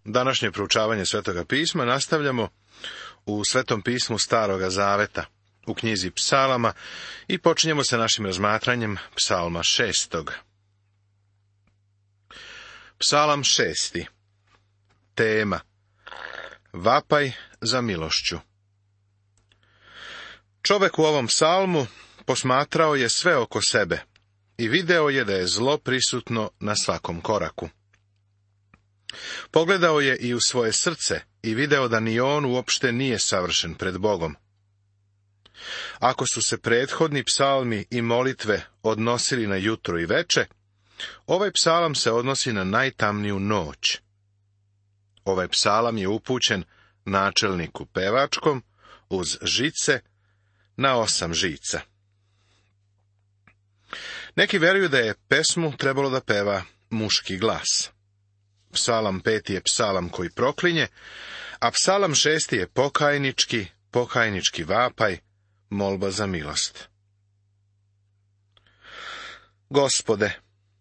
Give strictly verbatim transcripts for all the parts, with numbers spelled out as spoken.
Današnje proučavanje Svetoga pisma nastavljamo u Svetom pismu Staroga zaveta, u knjizi Psalama, i počinjemo sa našim razmatranjem Psalma šestog. Psalam šesti. Tema: Vapaj za milošću. Čovek u ovom psalmu posmatrao je sve oko sebe i video je da je zlo prisutno na svakom koraku. Pogledao je i u svoje srce i video da ni on uopšte nije savršen pred Bogom. Ako su se prethodni psalmi i molitve odnosili na jutro i veče, ovaj psalam se odnosi na najtamniju noć. Ovaj psalam je upućen načelniku pevačkom uz žice na osam žica. Neki veruju da je pesmu trebalo da peva muški glas. Psalam peti je psalam koji proklinje, a psalam šesti je pokajnički, pokajnički vapaj, molba za milost. Gospode,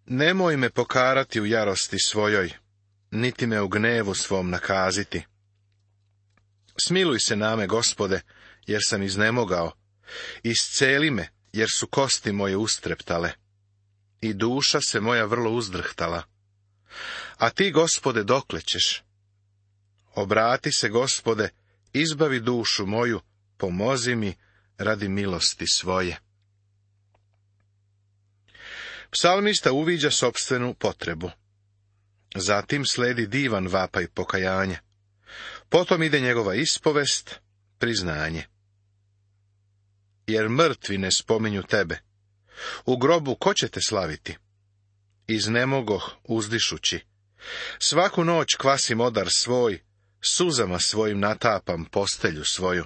nemoj me pokarati u jarosti svojoj, niti me u gnevu svom nakaziti. Smiluj se name, Gospode, jer sam iznemogao, isceli me, jer su kosti moje ustreptale, i duša se moja vrlo uzdrhtala. A ti, Gospode, dokle ćeš? Obrati se, Gospode, izbavi dušu moju, pomozi mi radi milosti svoje. Psalmista uviđa sopstvenu potrebu. Zatim sledi divan vapaj pokajanja. Potom ide njegova ispovest, priznanje. Jer mrtvi ne spominju tebe. U grobu ko će te slaviti? Iznemogoh uzdišući. Svaku noć kvasim odar svoj, suzama svojim natapam postelju svoju.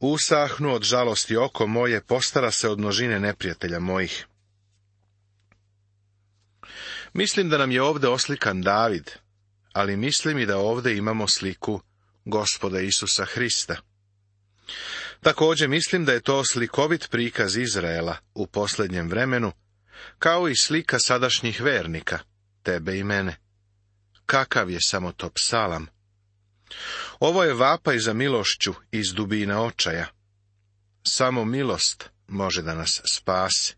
Usahnu od žalosti oko moje, postara se od množine neprijatelja mojih. Mislim da nam je ovdje oslikan David, ali mislim i da ovdje imamo sliku Gospoda Isusa Hrista. Također mislim da je to slikovit prikaz Izraela u posljednjem vremenu, kao i slika sadašnjih vernika, tebe i mene. Kakav je samo to psalam? Ovo je vapaj za milošću iz dubina očaja. Samo milost može da nas spasi.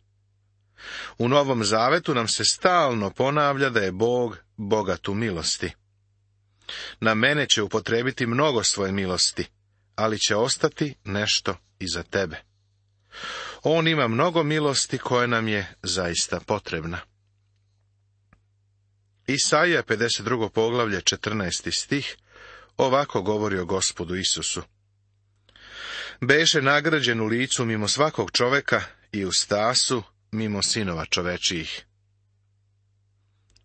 U Novom Zavetu nam se stalno ponavlja da je Bog bogat u milosti. Na mene će upotrebiti mnogo svoje milosti, ali će ostati nešto i za tebe. On ima mnogo milosti koja nam je zaista potrebna. Isaija pedeset drugo poglavlje četrnaesti stih ovako govori o Gospodu Isusu. Beše nagrađen u licu mimo svakog čoveka i u stasu mimo sinova čovečijih.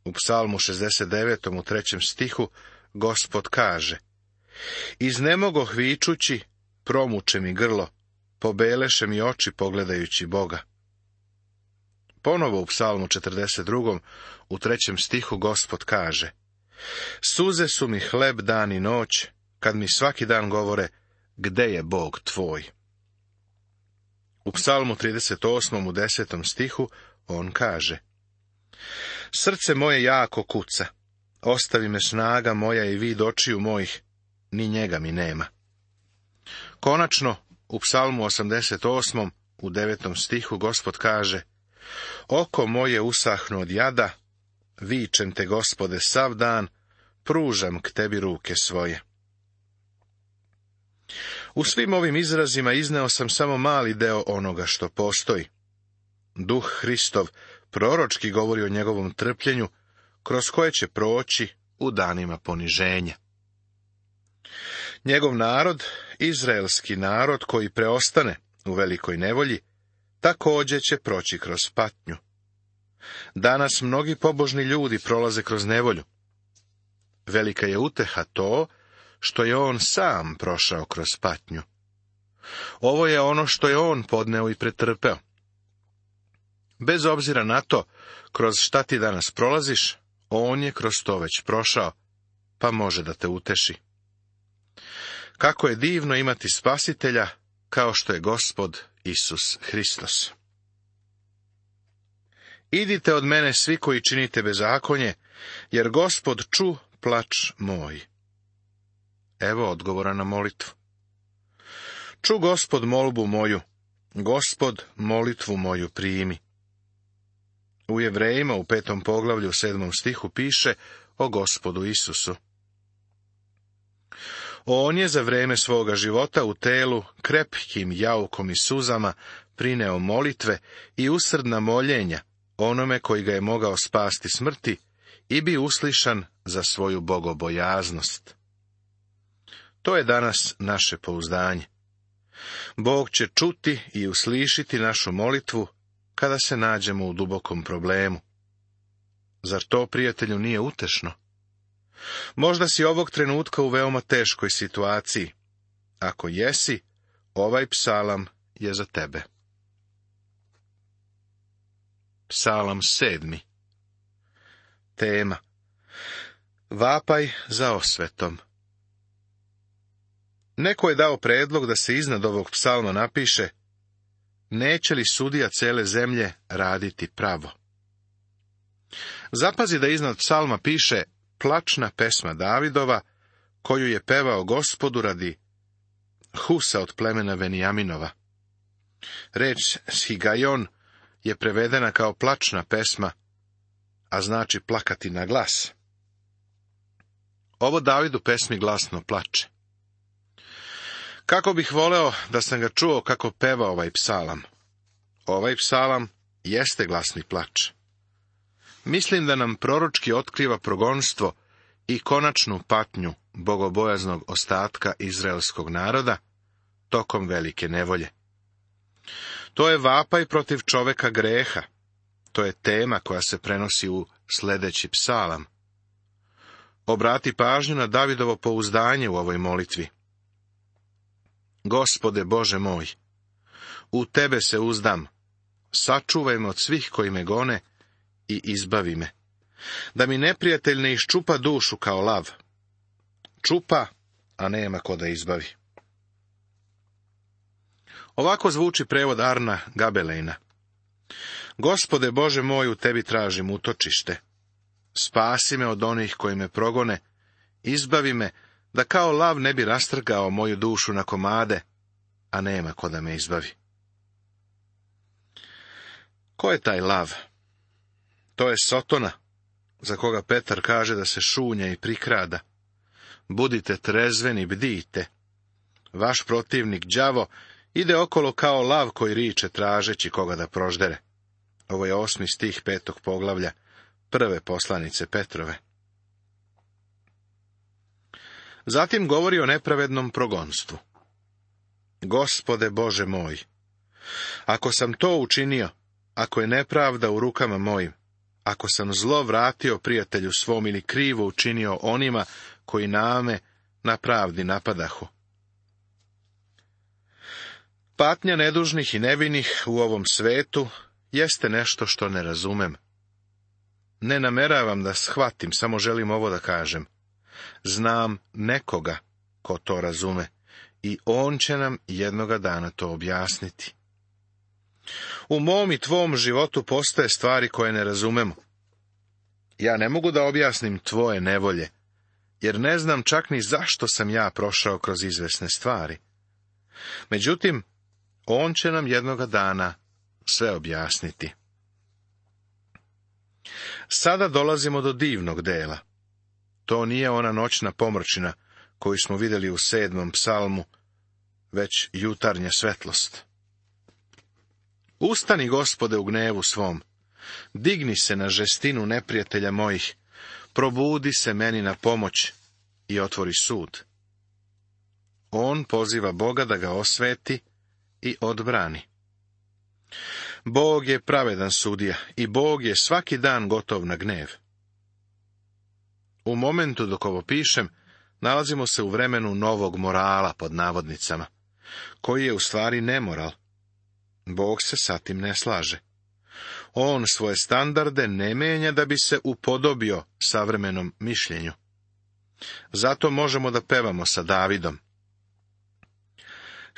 U Psalmu šezdeset devetom u trećem stihu Gospod kaže: Iznemogoh vičući, promuče mi grlo, pobeleše mi oči pogledajući Boga. Ponovo u Psalmu četrdeset drugom u trećem stihu Gospod kaže: Suze su mi hleb dan i noć, kad mi svaki dan govore, gde je Bog tvoj? U Psalmu trideset osmom u desetom stihu on kaže: Srce moje jako kuca, ostavi me snaga moja i vid očiju mojih, ni njega mi nema. Konačno, u Psalmu osamdeset osmom u devetom stihu Gospod kaže: Oko moje usahnu od jada, vičem te, Gospode, sav dan, pružam k tebi ruke svoje. U svim ovim izrazima izneo sam samo mali deo onoga što postoji. Duh Hristov proročki govori o njegovom trpljenju, kroz koje će proći u danima poniženja. Njegov narod, izraelski narod koji preostane u velikoj nevolji, također će proći kroz patnju. Danas mnogi pobožni ljudi prolaze kroz nevolju. Velika je uteha to što je on sam prošao kroz patnju. Ovo je ono što je on podneo i pretrpeo. Bez obzira na to, kroz šta ti danas prolaziš, on je kroz to već prošao, pa može da te uteši. Kako je divno imati spasitelja, kao što je Gospod Isus Hristos. Idite od mene svi koji činite bezakonje, jer Gospod ču plač moj? Evo odgovora na molitvu. Ču Gospod molbu moju, Gospod molitvu moju primi. U Jevrejima u petom poglavlju u sedmom stihu piše o Gospodu Isusu. On je za vrijeme svoga života u telu krepkim jaukom i suzama prineo molitve i usrdna moljenja onome koji ga je mogao spasti smrti i bi uslišan za svoju bogobojaznost. To je danas naše pouzdanje. Bog će čuti i uslišiti našu molitvu kada se nađemo u dubokom problemu. Zar to, prijatelju, nije utešno? Možda si ovog trenutka u veoma teškoj situaciji. Ako jesi, ovaj psalam je za tebe. Psalam sedmi. Tema: vapaj za osvetom. Neko je dao predlog da se iznad ovog psalma napiše: neće li sudija cele zemlje raditi pravo? Zapazi da iznad psalma piše plačna pesma Davidova, koju je pevao Gospodu radi Husa od plemena Venijaminova. Reč Shigajon je prevedena kao plačna pesma, a znači plakati na glas. Ovo David u pesmi glasno plače. Kako bih voleo da sam ga čuo kako peva ovaj psalam. Ovaj psalam jeste glasni plač. Mislim da nam proročki otkriva progonstvo i konačnu patnju bogobojaznog ostatka izraelskog naroda tokom velike nevolje. To je vapaj protiv čoveka greha. To je tema koja se prenosi u sljedeći psalam. Obrati pažnju na Davidovo pouzdanje u ovoj molitvi. Gospode Bože moj, u tebe se uzdam, sačuvaj me od svih koji me gone i izbavi me, da mi neprijatelj ne iščupa dušu kao lav. Čupa, a nema ko da izbavi. Ovako zvuči prevod Arna Gabelejna. Gospode Bože moj, u tebi tražim utočište. Spasi me od onih koji me progone, izbavi me, da kao lav ne bi rastrgao moju dušu na komade, a nema ko da me izbavi. Ko je taj lav? To je Sotona, za koga Petar kaže da se šunja i prikrada. Budite trezveni, bdijte. Vaš protivnik đavo ide okolo kao lav koji riče tražeći koga da proždere. Ovo je osmi stih petog poglavlja prve poslanice Petrove. Zatim govori o nepravednom progonstvu. Gospode Bože moj, ako sam to učinio, ako je nepravda u rukama mojim, ako sam zlo vratio prijatelju svom ili krivo učinio onima koji name na pravdi napadahu. Patnja nedužnih i nevinih u ovom svetu jeste nešto što ne razumem. Ne nameravam da shvatim, samo želim ovo da kažem. Znam nekoga ko to razume i on će nam jednoga dana to objasniti. U mom i tvom životu postoje stvari koje ne razumemo. Ja ne mogu da objasnim tvoje nevolje, jer ne znam čak ni zašto sam ja prošao kroz izvesne stvari. Međutim, on će nam jednoga dana sve objasniti. Sada dolazimo do divnog dela. To nije ona noćna pomrčina koju smo vidjeli u sedmom psalmu, već jutarnja svetlost. Ustani, Gospode, u gnevu svom, digni se na žestinu neprijatelja mojih, probudi se meni na pomoć i otvori sud. On poziva Boga da ga osveti i odbrani. Bog je pravedan sudija i Bog je svaki dan gotov na gnev. U momentu dok ovo pišem, nalazimo se u vremenu novog morala pod navodnicama, koji je u stvari nemoral. Bog se sa tim ne slaže. On svoje standarde ne menja da bi se upodobio savremenom mišljenju. Zato možemo da pevamo sa Davidom.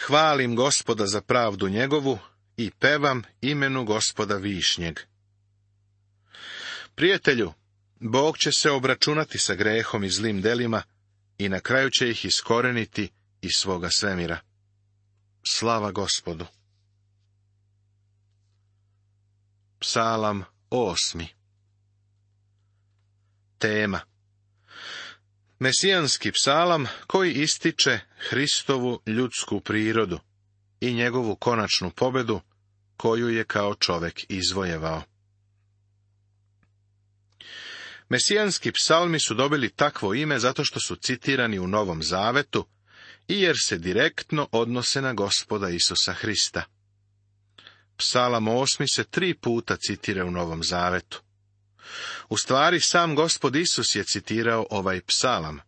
Hvalim Gospoda za pravdu njegovu i pevam imenu Gospoda višnjeg. Prijatelju, Bog će se obračunati sa grehom i zlim delima i na kraju će ih iskoreniti iz svoga svemira. Slava Gospodu. Psalam osmi. Tema: Mesijanski psalam koji ističe Hristovu ljudsku prirodu i njegovu konačnu pobedu koju je kao čovek izvojevao. Mesijanski psalmi su dobili takvo ime zato što su citirani u Novom Zavetu i jer se direktno odnose na Gospoda Isusa Hrista. Psalam osmi se tri puta citira u Novom Zavetu. U stvari, sam Gospod Isus je citirao ovaj psalam.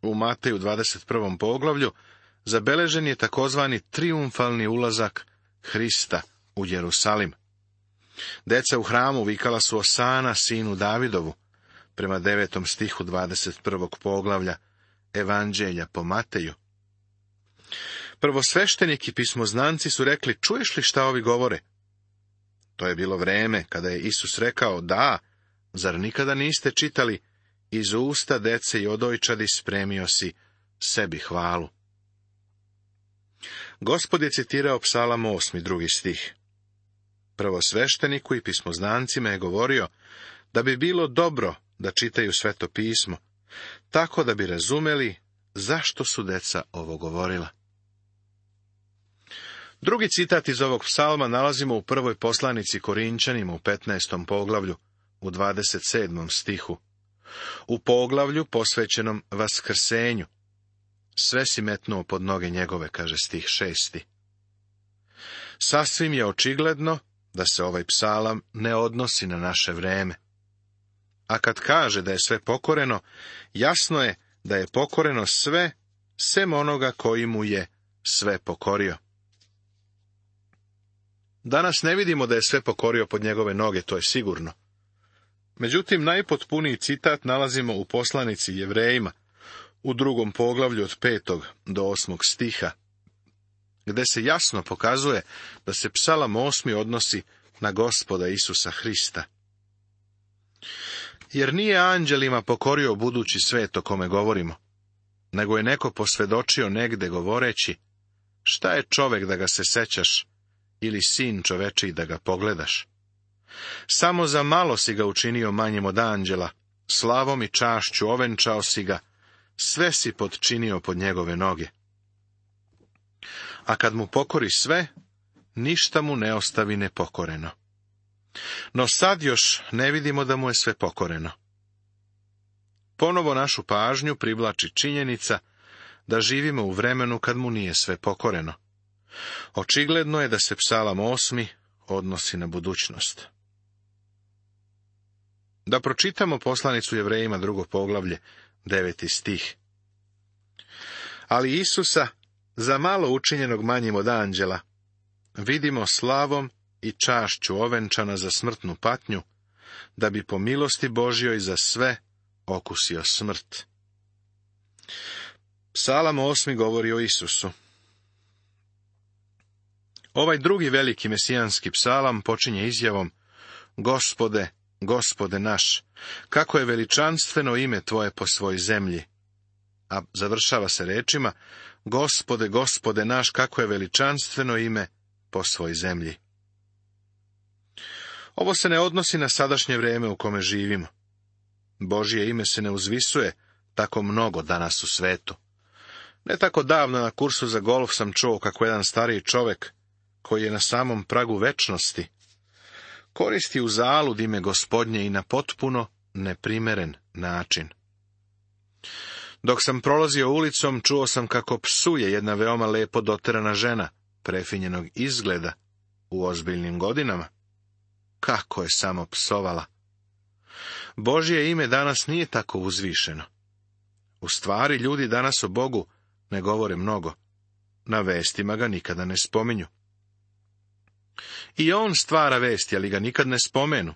U Mateju dvadeset prvom poglavlju zabeležen je takozvani trijumfalni ulazak Hrista u Jerusalim. Deca u hramu vikala su Osana, sinu Davidovu, prema devetom stihu dvadeset prvog poglavlja Evanđelja po Mateju. Prvosveštenik i pismoznanci su rekli: čuješ li šta ovi govore? To je bilo vreme kada je Isus rekao: da, zar nikada niste čitali, iz usta dece i odojčadi spremio si sebi hvalu. Gospod je citirao psalam osmi, drugi stih. Prvosvešteniku i pismoznancima je govorio da bi bilo dobro da čitaju Sveto pismo, tako da bi razumeli zašto su deca ovo govorila. Drugi citat iz ovog psalma nalazimo u prvoj poslanici Korinčanima u petnaestom poglavlju, u dvadeset sedmom stihu. U poglavlju posvećenom vaskrsenju. Sve si metnuo pod noge njegove, kaže stih šesti. Sasvim je očigledno da se ovaj psalam ne odnosi na naše vreme. A kad kaže da je sve pokoreno, jasno je da je pokoreno sve, sem onoga koji mu je sve pokorio. Danas ne vidimo da je sve pokorio pod njegove noge, to je sigurno. Međutim, najpotpuniji citat nalazimo u poslanici Jevrejima, u drugom poglavlju od petog do osmog stiha, gde se jasno pokazuje da se psalam osmi odnosi na Gospoda Isusa Hrista. Jer nije anđelima pokorio budući svet o kome govorimo, nego je neko posvedočio negde govoreći: šta je čovek da ga se sećaš, ili sin čovečiji da ga pogledaš? Samo za malo si ga učinio manjim od anđela, slavom i čašću ovenčao si ga, sve si podčinio pod njegove noge. A kad mu pokori sve, ništa mu ne ostavi nepokoreno. No sad još ne vidimo da mu je sve pokoreno. Ponovo našu pažnju privlači činjenica da živimo u vremenu kad mu nije sve pokoreno. Očigledno je da se psalam osmi odnosi na budućnost. Da pročitamo poslanicu Jevrejima drugo poglavlje, deveti stih. Ali Isusa, za malo učinjenog manjim od anđela, vidimo slavom i čašću ovenčana za smrtnu patnju, da bi po milosti Božjoj za sve okusio smrt. Psalam osmi govori o Isusu. Ovaj drugi veliki mesijanski psalam počinje izjavom: Gospode, Gospode naš, kako je veličanstveno ime tvoje po svoj zemlji. A završava se rečima: Gospode, Gospode naš, kako je veličanstveno ime po svoj zemlji. Ovo se ne odnosi na sadašnje vrijeme u kome živimo. Božje ime se ne uzvisuje tako mnogo danas u svetu. Ne tako davno na kursu za golf sam čuo kako jedan stariji čovek, koji je na samom pragu večnosti, koristi u zalud ime Gospodnje i na potpuno neprimeren način. Dok sam prolazio ulicom, čuo sam kako psuje jedna veoma lepo doterana žena, prefinjenog izgleda, u ozbiljnim godinama. Kako je samo psovala! Božje ime danas nije tako uzvišeno. U stvari, ljudi danas o Bogu ne govore mnogo. Na vestima ga nikada ne spominju. I on stvara vesti, ali ga nikad ne spomenu.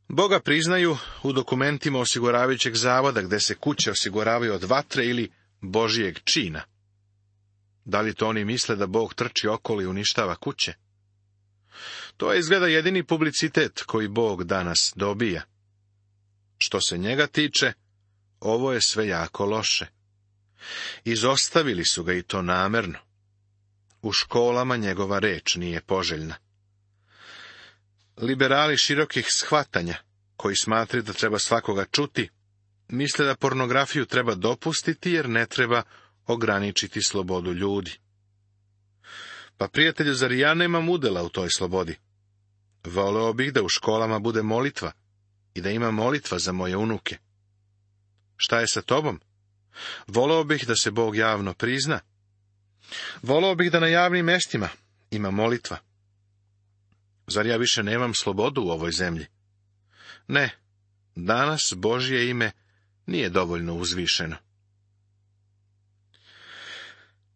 Boga priznaju u dokumentima osiguravajućeg zavoda, gde se kuće osiguravaju od vatre ili Božijeg čina. Da li to oni misle da Bog trči okolo i uništava kuće? To je izgleda jedini publicitet koji Bog danas dobija. Što se njega tiče, ovo je sve jako loše. Izostavili su ga i to namerno. U školama njegova reč nije poželjna. Liberali širokih shvatanja, koji smatraju da treba svakoga čuti, misle da pornografiju treba dopustiti jer ne treba ograničiti slobodu ljudi. Pa, prijatelju, zar ja nemam udjela u toj slobodi? Voleo bih da u školama bude molitva i da ima molitva za moje unuke. Šta je sa tobom? Voleo bih da se Bog javno prizna. Voleo bih da na javnim mjestima ima molitva. Zar ja više nemam slobodu u ovoj zemlji? Ne, danas Božje ime nije dovoljno uzvišeno.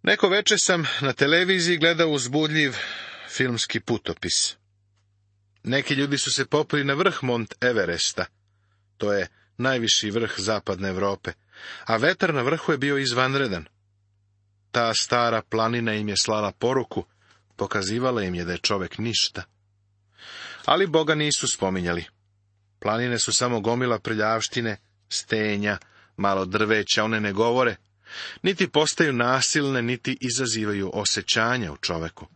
Neko večer sam na televiziji gledao uzbudljiv filmski putopis. Neki ljudi su se popeli na vrh Mont Everesta, to je najviši vrh zapadne Europe, a vetar na vrhu je bio izvanredan. Ta stara planina im je slala poruku, pokazivala im je da je čovjek ništa. Ali Boga nisu spominjali. Planine su samo gomila prljavštine, stenja, malo drveća, one ne govore, niti postaju nasilne, niti izazivaju osjećanja u čoveku.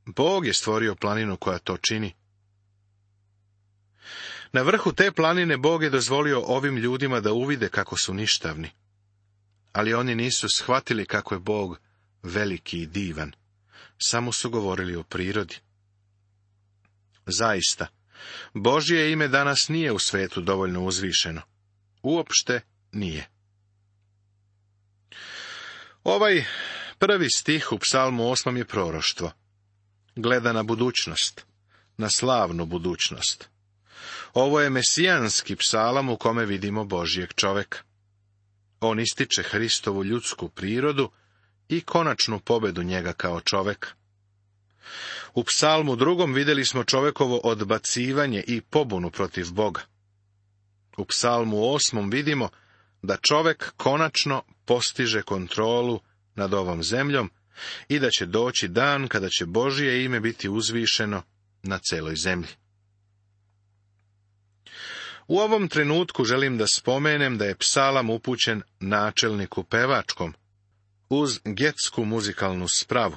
Bog je stvorio planinu koja to čini. Na vrhu te planine Bog je dozvolio ovim ljudima da uvide kako su ništavni. Ali oni nisu shvatili kako je Bog veliki i divan. Samo su govorili o prirodi. Zaista, Božje ime danas nije u svetu dovoljno uzvišeno. Uopšte nije. Ovaj prvi stih u Psalmu osmom je proroštvo. Gleda na budućnost, na slavnu budućnost. Ovo je mesijanski psalam u kome vidimo Božjeg čoveka. On ističe Hristovu ljudsku prirodu i konačnu pobedu njega kao čoveka. U psalmu drugom vidjeli smo čovekovo odbacivanje i pobunu protiv Boga. U psalmu osmom vidimo da čovek konačno postiže kontrolu nad ovom zemljom i da će doći dan kada će Božje ime biti uzvišeno na celoj zemlji. U ovom trenutku želim da spomenem da je psalam upućen načelniku pevačkom, uz getsku muzikalnu spravu.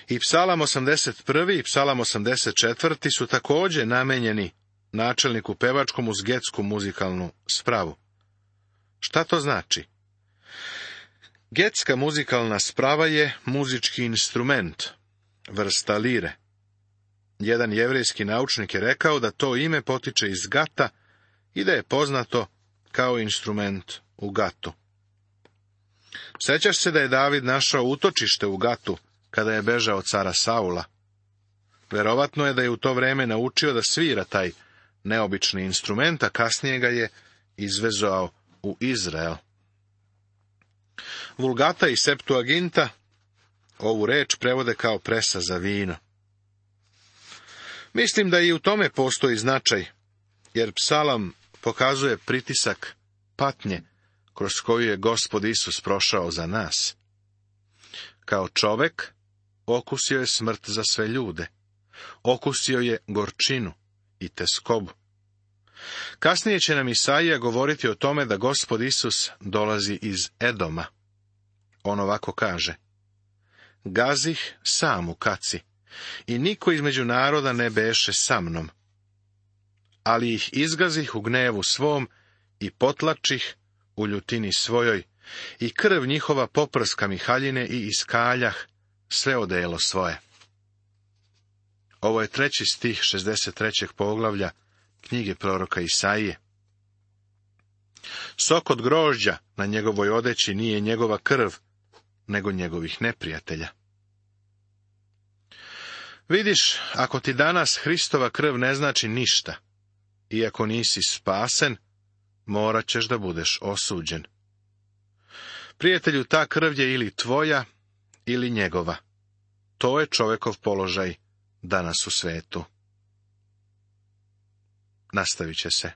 I psalam osamdeset prvi i psalam osamdeset četvrti su također namenjeni načelniku pevačkom uz getsku muzikalnu spravu. Šta to znači? Getska muzikalna sprava je muzički instrument, vrsta lire. Jedan jevrejski naučnik je rekao da to ime potiče iz Gata i da je poznato kao instrument u Gatu. Sjećaš se da je David našao utočište u Gatu kada je bežao od cara Saula? Verovatno je da je u to vrijeme naučio da svira taj neobični instrument, a kasnije ga je izvezao u Izrael. Vulgata i Septuaginta ovu reč prevode kao presa za vino. Mislim da i u tome postoji značaj, jer psalam pokazuje pritisak patnje kroz koju je Gospod Isus prošao za nas. Kao čovek okusio je smrt za sve ljude. Okusio je gorčinu i teskobu. Kasnije će nam Isaija govoriti o tome da Gospod Isus dolazi iz Edoma. On ovako kaže: Gazih sam u kaci, i niko između naroda ne beše sa mnom. Ali ih izgazih u gnevu svom i potlačih u ljutini svojoj, i krv njihova poprska mi haljine i iskaljah sve odelo svoje. Ovo je treći stih šezdeset trećeg poglavlja knjige proroka Isaije. Sok od grožđa na njegovoj odeći nije njegova krv, nego njegovih neprijatelja. Vidiš, ako ti danas Hristova krv ne znači ništa, iako nisi spasen, morat ćeš da budeš osuđen. Prijatelju, ta krv je ili tvoja, ili njegova. To je čovekov položaj danas u svetu. Nastavit će se.